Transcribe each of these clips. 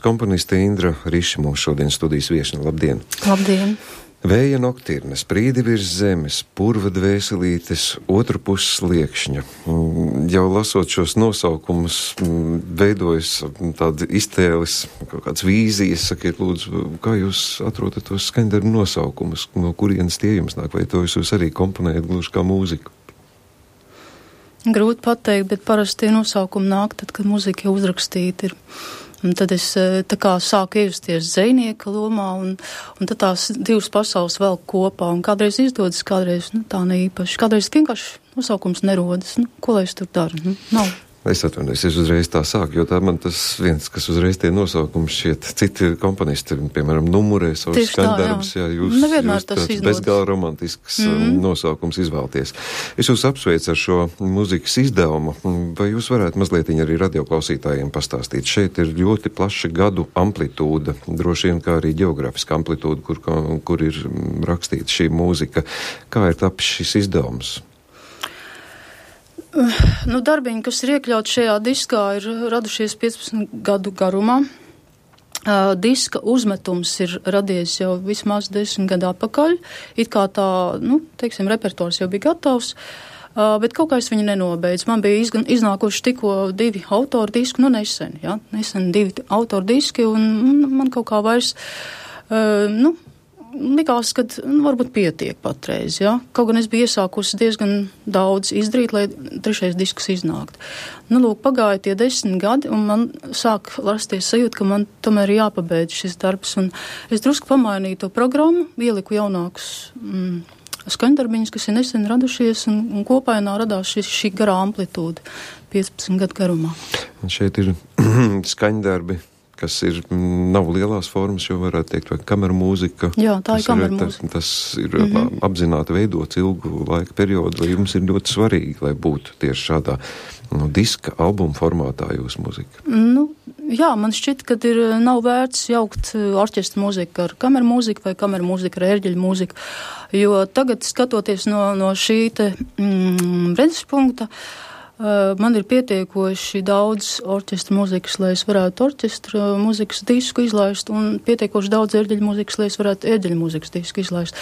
Komponiste Indra Riša mums šodien studijas viešņa. Labdien! Labdien! Vēja noktirne, sprīdi virs zemes, purva dvēselītes, otru puses sliekšņa. Jau lasot šos nosaukumus, veidojas tādi iztēles, kaut kāds vīzijas. Sakiet, lūdzu, kā jūs atrodat tos skaņdarbu nosaukumus, no kurienes tie jums nāk, vai to jūs arī komponējat gluži kā mūziku? Grūti pateikt, bet parasti tie nosaukumi nāk tad, kad mūzika jau uzrakstīta ir. Un tad es tā kā sāku iejusties dzejnieka lomā, un tad tās divas pasaules vēl kopā, un kādreiz izdodas, kādreiz tā ne īpaši, kādreiz vienkārši nosaukums nerodas, ko lai es tur daru, nav. Es atvainojos, es uzreiz tā sāku, jo tā man tas viens, kas uzreiz tie nosaukumi šķiet, citi komponisti, piemēram, numurē savus skaņdarbus, jūs tāds bezgala romantisks nosaukums izvēlties. Es jūs apsveicu ar šo mūzikas izdevumu, vai jūs varētu mazliet arī radioklausītājiem pastāstīt? Šeit ir ļoti plaša gadu amplitūda, droši vien kā arī geogrāfiska amplitūda, kur ir rakstīta šī mūzika. Kā ir tapis šis izdevums? Darbiņi, kas ir iekļauti šajā diskā, ir radušies 15 gadu garumā. Diska uzmetums ir radies jau vismaz 10 gadu atpakaļ. It kā tā, repertuārs jau bija gatavs, bet kaut kā es viņu nenobeidzu. Man bija iznākuši tikko 2 autoru diski, nesen 2 autoru diski, un man kaut kā vairs, likās, ka varbūt pietiek patreiz, Kaut gan es biju iesākusi diezgan daudz izdarīt, lai 3. disks iznākt. Pagāja tie 10 gadi, un man sāk rasties sajūta, ka man tomēr ir jāpabeidz šis darbs, un es drusku pamainīju to programmu, ieliku jaunākus skaņdarbiņus, kas ir nesen radušies, un kopainā radās šī garā amplitūda 15 gadu garumā. Un šeit ir skaņdarbi, kas nav lielās formas, jo varētu teikt, vai kameru mūzika. Jā, tā ir kameru mūzika. Tas ir apzināti veidots ilgu laika periodu, vai jums ir ļoti svarīgi, lai būtu tieši šādā diska albuma formātā jūsu mūzika? Jā, man šķiet, ka nav vērts jaukt orķestra mūziku ar kameru mūziku vai kameru mūziku ar ērģeļu mūziku, jo tagad, skatoties no šī redzes punkta, man ir pietiekoši daudz orķestra mūzikas, lai es varētu orķestra mūzikas disku izlaist, un pietiekoši daudz ērģeļu mūzikas, lai es varētu ērģeļu mūzikas disku izlaist.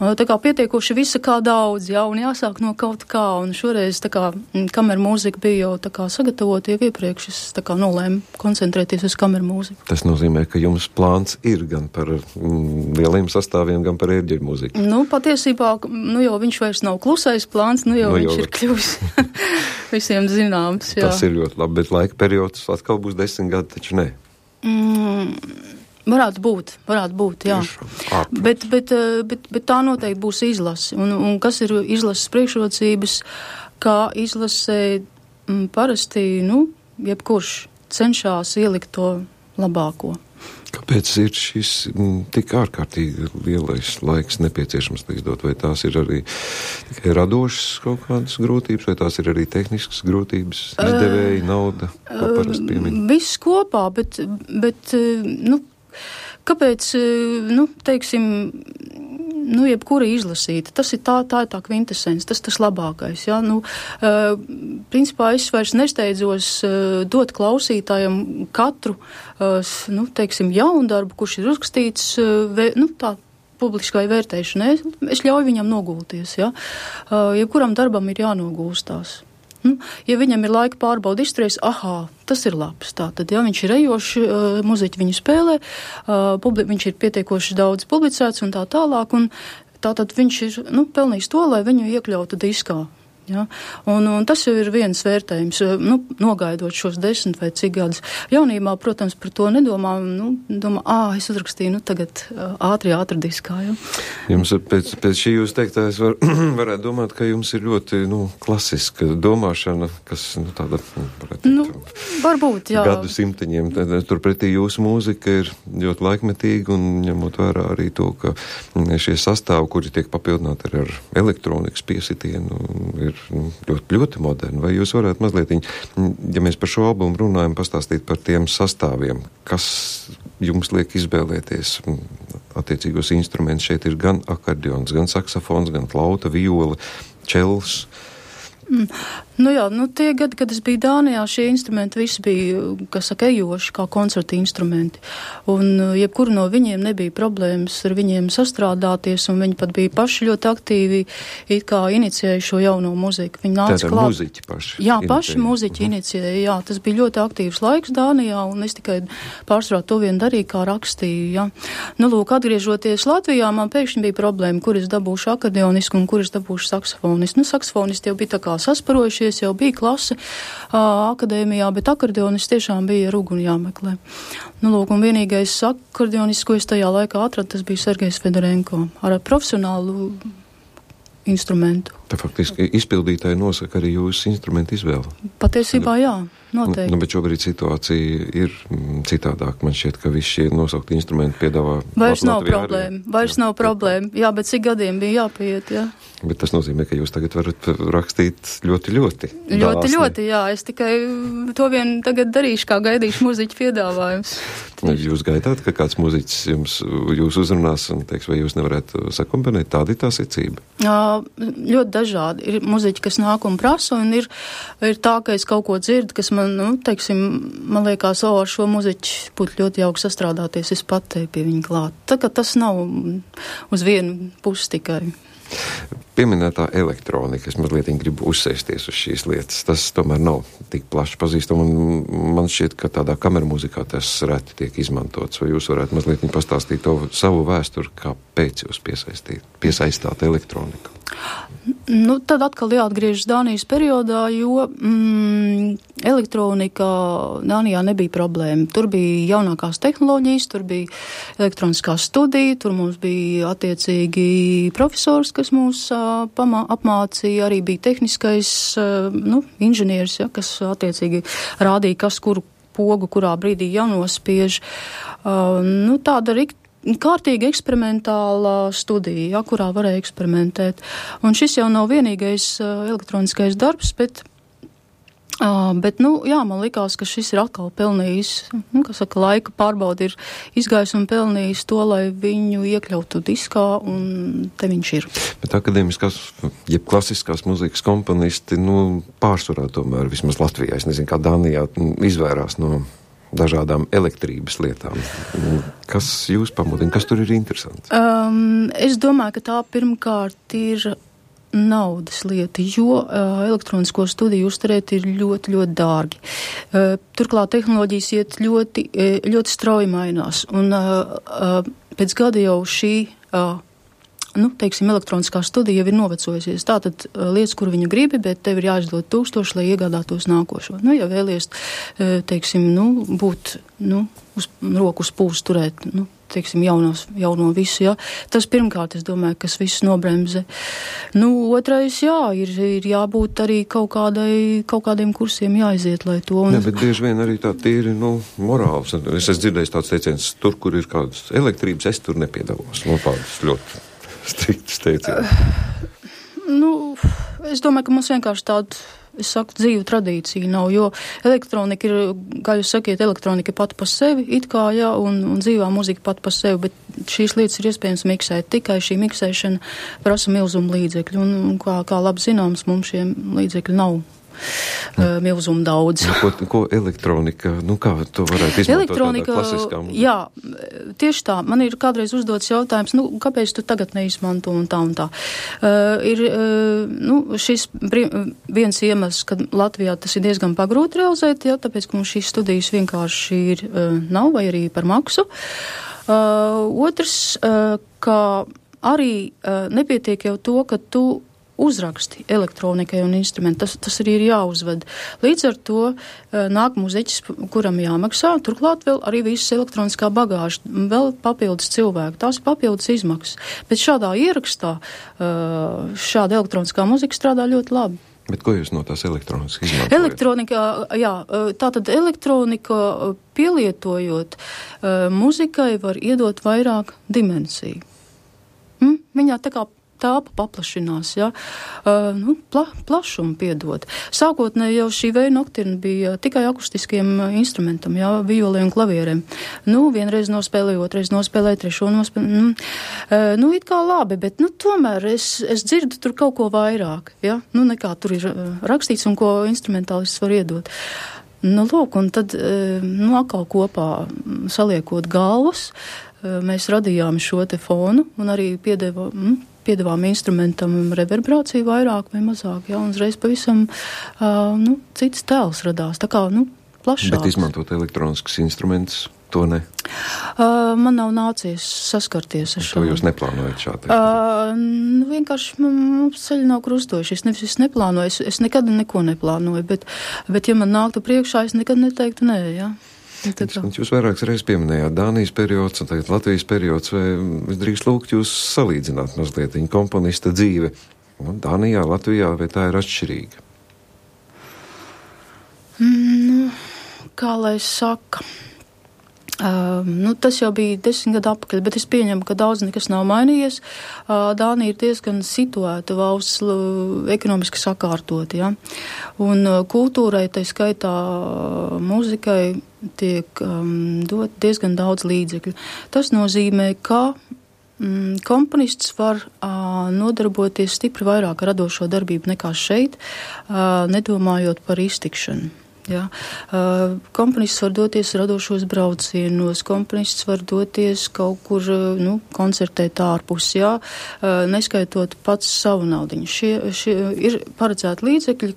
Tā kā pietiekoši visa kā daudz, un jāsāk no kaut kā, un šoreiz tā kā kameru mūzika bija jau tā kā sagatavota jau iepriekš, es tā kā nolēmu koncentrēties uz kameru mūziku. Tas nozīmē, ka jums plāns ir gan par lieliem sastāviem, gan par ērģeļu mūziku. Patiesībā, jau viņš vairs nav klusais plāns, viņš ir kļuvis visiem zināms, jā. Tas ir ļoti labi, bet laika periods atkal būs 10 gadi, taču ne. Varētu būt, jā. Bet tā noteikti būs izlase. Un kas ir izlases priekšrocības, kā izlasē parasti, jebkurš cenšas ielikt to labāko. Kāpēc ir šis tik ārkārtīgi lielais laiks nepieciešams izdot? Vai tās ir arī tikai radošas kaut kādas grūtības, vai tās ir arī tehniskas grūtības, izdevēji, nauda, ko parasti piemin? Viss kopā, bet kāpēc, teiksim, jebkura izlasīta, tas ir tā ir tā kvintesence, tas labākais, principā es vairs nesteidzos dot klausītājam katru, teiksim, jaundarbu, kurš ir uzrakstīts, tā publiskai vērtēšanai, es ļauju viņam nogulties, jebkuram darbam ir jānogulstās. Ja viņam ir laika pārbauda izturēs, tas ir labs. Tātad, viņš ir ejošs, muziķi viņu spēlē, viņš ir pietiekoši daudz publicēts un tā tālāk, un tātad viņš ir, pelnījis to, lai viņu iekļautu diskā. Ja? Un tas jau ir viens vērtējums, nogaidot šos 10 vai cik gadus. Jaunībā, protams, par to nedomā, domā, es uzrakstīju, tagad ātri diskā. Ja? Jums pēc šī jūs teiktā, es varētu domāt, ka jums ir ļoti, klasiska domāšana, kas, tāda, varētu teikt, varbūt, jā. Gadu simteņiem. Turpretī jūsu mūzika ir ļoti laikmetīga un ņemot vērā arī to, ka šie sastāvi, kuri tiek papildināti ar elektronikas piesitienu, ir ļoti, ļoti moderni. Vai jūs varētu mazliet, ja mēs par šo albumu runājam, pastāstīt par tiem sastāviem, kas jums liek izvēlēties attiecīgos instrumentus? Šeit ir gan akordeons, gan saksofons, gan flauta, viola, čels. Nu jā, tie gadi, kad es biju Dānijā, šie instrumenti visi bija, kas saka, ejoši, kā koncerta instrumenti. Un jebkuru no viņiem nebija problēmas ar viņiem sastrādāties, un viņi pat bija paši ļoti aktīvi, it kā inicijēja šo jauno muziku. Viņi nāca klāt. Tātad muziķi paši? Jā, paši muziķi inicijēja, jā. Tas bija ļoti aktīvs laiks Dānijā, un es tikai pārsvarā to vien darīju, kā rakstīju, jā. Nu, lūk, atgriežoties Latvijā, man pēkšņi bija problēma, kur es dabūšu akordeonisku un kur es dabūšu saksofonistu. Nu, saksofonisti jau bija tā kā sasparojušies, jau bija klase akadēmijā, bet akordeonists tiešām bija ar uguni jāmeklē. Nu, lūk, un vienīgais akordeonists, ko es tajā laikā atradu, tas bija Sergejs Fedorenko ar profesionālu instrumentu. Tā faktiski izpildītāji nosaka arī jūsu instrumentu izvēli. Patiesībā jā, noteikti. Bet šobrīd situācija ir citādāk. Man šķiet, ka visi šie nosaukti instrumenti piedāvā. Vairs nav problēma. Jā, bet cik gadiem bija jāpiet, jā. Bet tas nozīmē, ka jūs tagad varat rakstīt ļoti dāsni. Ļoti, jā. Es tikai to vien tagad darīšu, kā gaidīšu muziķu piedāvājums. Jūs gaidāt, ka kāds muziķis jūs uzrunās un teiks, vai jūs nevarētu sakombinēt? Tāda ir tā secība? Ļoti dažādi. Ir muziķi, kas nāk un prasa, un ir tā, ka es kaut ko dzirdu, kas man, man liekas, ar šo muziķi būtu ļoti jauki sastrādāties, es pat te pie viņa klāt. Tā kā tas nav uz vienu pusi tikai. Pieminētā elektronika, es mazliet gribu uzsēsties uz šīs lietas. Tas tomēr nav tik plaši pazīstama, un man šķiet, ka tādā kameramūzikā tas reti tiek izmantots. Vai jūs varētu mazliet pastāstīt to savu vēsturi, kāpēc jūs piesaistāt elektroniku? Nu, tad atkal jāatgriežas Dānijas periodā, jo elektronika Dānijā nebija problēma. Tur bija jaunākās tehnoloģijas, tur bija elektroniskā studija, tur mums bija attiecīgi profesors, kas mūs apmācīja, arī bija tehniskais inženieris, kas attiecīgi rādīja, kas kuru pogu kurā brīdī jānospiež. Tāda kārtīga eksperimentāla studija, kurā varēja eksperimentēt. Un šis jau nav vienīgais elektroniskais darbs, bet man likās, ka šis ir atkal pelnījis, laika pārbaudi ir izgājis un pelnījis to, lai viņu iekļautu diskā, un te viņš ir. Bet akadēmiskās, jeb klasiskās muzikas komponisti, pārsvarā tomēr, vismaz Latvijā, es nezinu, kā Dānijā, izvairās no dažādām elektrības lietām. Kas jūs pamudina? Kas tur ir interesants? Es domāju, ka tā pirmkārt ir naudas lieta, jo elektronisko studiju uzturēt ir ļoti, ļoti dārgi. Turklāt tehnoloģijas iet ļoti, ļoti strauji mainās. Un pēc gada jau šī elektroniskā studija jau ir novecojusies. Tātad lietas, kur viņu gribi, bet tev ir jāizdod 1000, lai iegādātos nākošo. Ja vēlies, būt uz roku uz pūles turēt, jauno visu, jā. Tas pirmkārt, es domāju, kas viss nobremzē. Otrais, ir jābūt arī kaut kādiem kursiem jāiziet, lai to. Jā, bet bieži vien arī tā tīri, morāls. Es esmu dzirdējis tāds teiciens, tur, kur ir kādas elektrības, es tur nepiedalos. Tādas ļoti striktas teiciens. Es domāju, ka mums vienkārši tāda, dzīvu tradīcija nav, jo elektronika ir, kā jūs sakiet, elektronika pati pa sevi, un dzīvā muzika pati pa sevi, bet šīs lietas ir iespējams miksēt. Tikai šī miksēšana prasa milzumu līdzekļu, un kā labi zināms, mums šiem līdzekļu nav milzumu daudz. Ko elektronika, kā to varētu izmantot tādā klasiskā muzikā? Jā, tieši tā. Man ir kādreiz uzdots jautājums, kāpēc tu tagad neizmanto un tā. Šis viens iemesls, ka Latvijā tas ir diezgan pagrūti realizēt, tāpēc, ka mums šīs studijas vienkārši nav vai arī par maksu. Otrs, ka arī nepietiek jau to, ka tu uzraksti elektronikai un instrumentu. Tas arī ir jāuzved. Līdz ar to nāk muzeķis, kuram jāmaksā, turklāt vēl arī visas elektroniskā bagāža, vēl papildus cilvēku. Tās ir papildus izmaksas. Bet šādā ierakstā šāda elektroniskā muzika strādā ļoti labi. Bet ko jūs no tās elektronikas izmantojat? Elektronika, tātad elektronika pielietojot muzikai var iedot vairāk dimensiju. Viņā tā kā tāpa paplašinās, jā, plašumu piedod. Sākotnēji jau šī vēja noktirna bija tikai akustiskiem instrumentam, jā, violē un klavierēm. Vienreiz nospēlēju, otrreiz nospēlēju, trešo nospēlēju. It kā labi, bet, tomēr es dzirdu tur kaut ko vairāk, jā, nekā tur ir rakstīts un ko instrumentālists var iedot. Lūk, un tad, atkal kopā saliekot galvas, mēs radījām šo te fonu un arī piedevām instrumentam reverberāciju vairāk vai mazāk, jā, un uzreiz pavisam, cits tēls radās, tā kā, plašāks. Bet izmantot elektroniskus instrumentus, to ne? Man nav nācies saskarties ar šo. To jūs neplānojat šādi? Vienkārši mums ceļi nav krustojuši. Es neplānoju, es nekad neko neplānoju, bet ja man nāktu priekšā, es nekad neteiktu nē, jā. Jūs vairākas reizes pieminējāt Dānijas periods un tagad Latvijas periods, vai es drīkst lūgt jūs salīdzināt mazliet viņa komponista dzīve Dānijā, Latvijā, vai tā ir atšķirīga? Kā lai saka? Tas jau bija 10 gadu atpakaļ, bet es pieņemu, ka daudz nekas nav mainījies. Dānija ir diezgan situēta valsts, ekonomiski sakārtot, ja? Un kultūrai, tai skaitā mūzikai, tiek dot diezgan daudz līdzekļu. Tas nozīmē, ka komponists var nodarboties stipri vairāk radošo darbību nekā šeit, nedomājot par iztikšanu. Jā. Komponists var doties radošos braucienos, komponists var doties kaut kur, koncertēt ārpus, jā, neskaitot pats savu naudiņu. Šie ir paredzēti līdzekļi,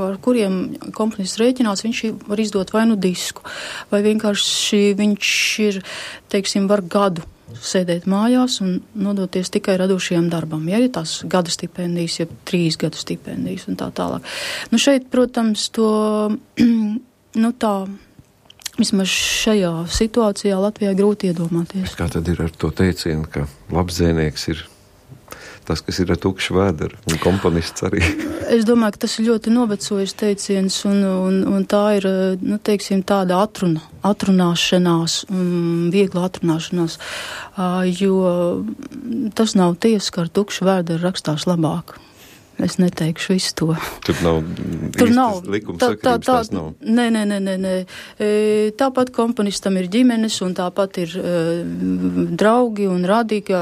ar kuriem komponists rēķinās, viņš var izdot vai disku, vai vienkārši viņš ir, var gadu sēdēt mājās un nodoties tikai radošajam darbam. Ja ir tās gada stipendijas, ja 3 gadu stipendijas un tā tālāk. Šeit, protams, to, tā, vismaz šajā situācijā Latvijā grūti iedomāties. Kā tad ir ar to teicienu, ka labs dzēnieks ir tas, kas ir ar tukšu vēderu, un komponists arī? Es domāju, ka tas ir ļoti novecojis teiciens, un tā ir, tāda atrunāšanās, viegla atrunāšanās, jo tas nav tiesa, ka ar tukšu vēderu rakstās labāk. Es neteikšu visu to. Tur nav likuma sakarības, tās nav. Nē. Tāpat komponistam ir ģimenes, un tāpat ir draugi un radīgi,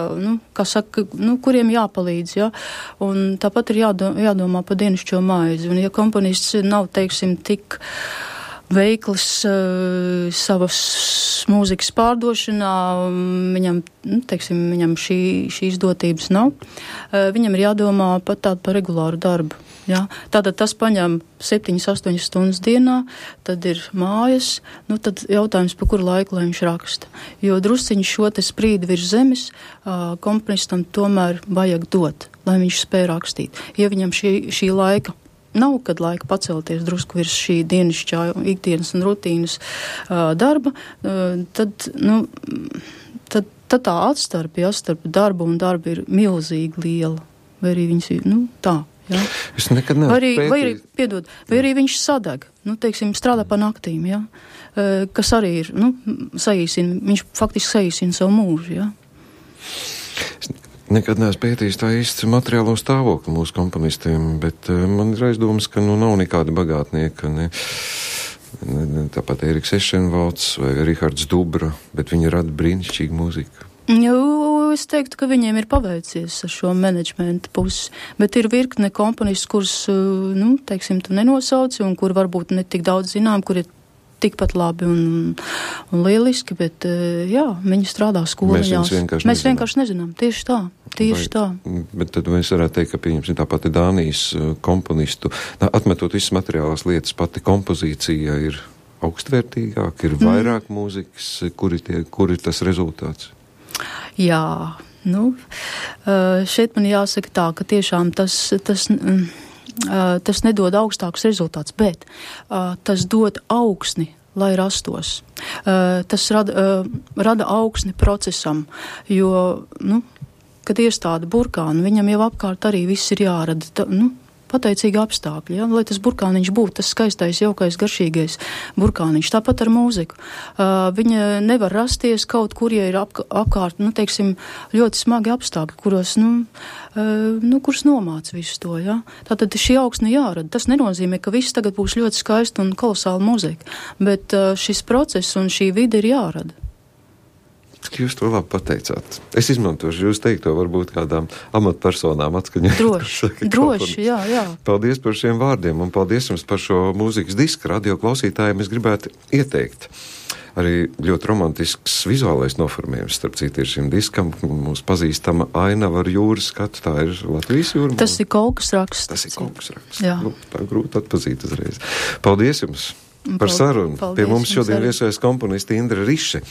kuriem jāpalīdz, ja? Un tāpat ir jādomā par dienascho maizi. Un ja komponists nav, tik veikls savas mūzikas pārdošanā, viņam šī izdotības nav. Viņam ir jādomā pat tādu par regulāru darbu. Ja? Tātad tas paņem 7-8 stundas dienā, tad ir mājas, tad jautājums, pa kuru laiku, lai viņš raksta. Jo drusciņš šo te sprīdi virs zemes komponistam tomēr vajag dot, lai viņš spēj rakstīt. Ja viņam šī laika nav, kad laika pacelties drusku virs šī dienasčā ikdienas un rutīnas darba, tad tā atstarpe, starp darbu un darbu ir milzīgi liela. Vai arī viņas ir, tā. Ja? Es nekad neesmu pētījis. Vai arī viņš sadeg, strādā pa naktīm, ja? Kas arī ir, viņš faktiski saīsina savu mūžu, ja? Nekad neesmu pētījis tā īsti materiālo stāvokli mūsu komponistiem, bet man ir aizdomas, ka nav nekāda bagātnieka, tāpat Eriks Ešenvalds vai Rihards Dubra, bet viņi rada brīnišķīgu mūziku. Es teiktu, ka viņiem ir paveicies ar šo menedžmenta pusi, bet ir virkne komponisti, kurus, tu nenosauci un kur varbūt ne tik daudz zinām, kur ir tikpat labi un lieliski, bet viņi strādā skoliņās. Mēs vienkārši nezinām. Tieši tā. Bet tad mēs varētu teikt, ka pieņemsim tāpat Dānijas komponistu, atmetot visas materiālās lietas, pati kompozīcija ir augstvērtīgāka, ir vairāk mūzikas, kur ir tas rezultāts? Jā, šeit man jāsaka tā, ka tiešām tas nedod augstākus rezultātus, bet tas dod augsni, lai rastos. Tas rada augsni procesam, jo, kad iestāda burkānu, viņam jau apkārt arī viss ir jārada. pateicīgi apstākļi, ja? Lai tas burkāniņš būtu tas skaistais, jaukais, garšīgais burkāniņš. Tāpat ar mūziku. Viņa nevar rasties kaut kur, ja ir apkārt, nu, teiksim, ļoti smagi apstākļi, kuros, kurus nomāc visu to, ja? Tātad šī augsne jārada. Tas nenozīmē, ka viss tagad būs ļoti skaisti un kolosāla mūzika, bet šis process un šī vide ir jārada. Jūs to labi pateicāt. Es izmantošu jūs teikto varbūt kādām amatpersonām atskaņot. Droši, jā. Paldies par šiem vārdiem un paldies jums par šo mūzikas disku. Radio klausītājiem es gribētu ieteikt. Arī ļoti romantisks vizuālais noformējums, starp citu, ir šim diskam. Mums pazīstama ainava ar jūras skatu. Tā ir Latvijas jūra. Tas ir Kolkas raksts. Jā. Tā grūti atpazīt uzreiz. Paldies jums par sarunu. Pie mums šodien viesojas komponisti Indra Riše.